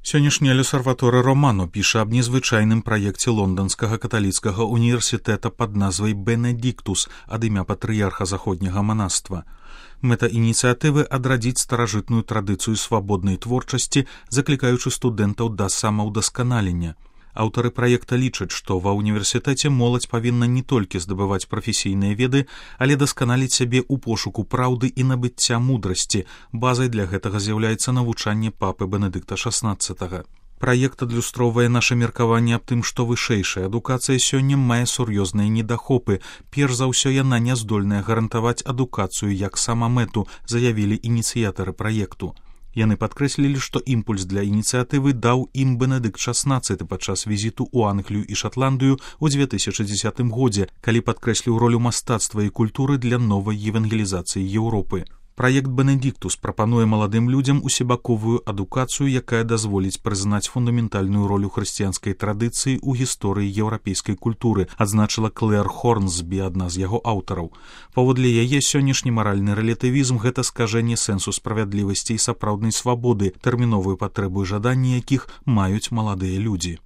Сённяшні L'Osservatore Romano піша аб незвычайным праекце лонданскага каталіцкага універсітэта пад назвай «Бенедиктус» ад імя патрыярха заходняга манаства. Мэта ініцыятывы адрадзіць старажытную традыцыю свабоднай творчасці, заклікаючы студэнтаў да самаўдасканалення. Аўтары праекта лічаць, што ва ўніверсітэце моладзь павінна не толькі здабываць прафесійныя веды, але дасканаліць сябе ў пошуку праўды і набыцця мудрасці. Базай для гэтага з'яўляецца навучанне папы Бенедыкта XVI. Праект адлюстроўвае наша меркаванне аб тым, што вышэйшая адукацыя сёння мае сур'ёзныя недахопы. Перш за ўсё яна не здольная гарантаваць адукацыю як самамэту, заявілі ініцыятары праекту. Яны падкрэслілі, што імпульс для ініцыятывы даў ім Бенедыкт XVI падчас візіту ў Англію і Шатландыю ў 2010 годзе, калі падкрэсліў ролю мастацтва і культуры для новай евангелізацыі Еўропы. Праект «Бенедиктус» прапануе маладым людзям усебаковую адукацыю, якая дазволіць прызнаць фундаментальную ролю хрысціянскай традыцыі ў гісторыі еўрапейскай культуры, адзначыла Клэр Хорнсбі, адна з яго аўтараў. Паводле яе, сённяшні маральны рэлятывізм – гэта скажэнне сэнсу справядлівасці і сапраўднай свабоды, тэрміновую патрэбу і жаданні якіх маюць маладыя людзі.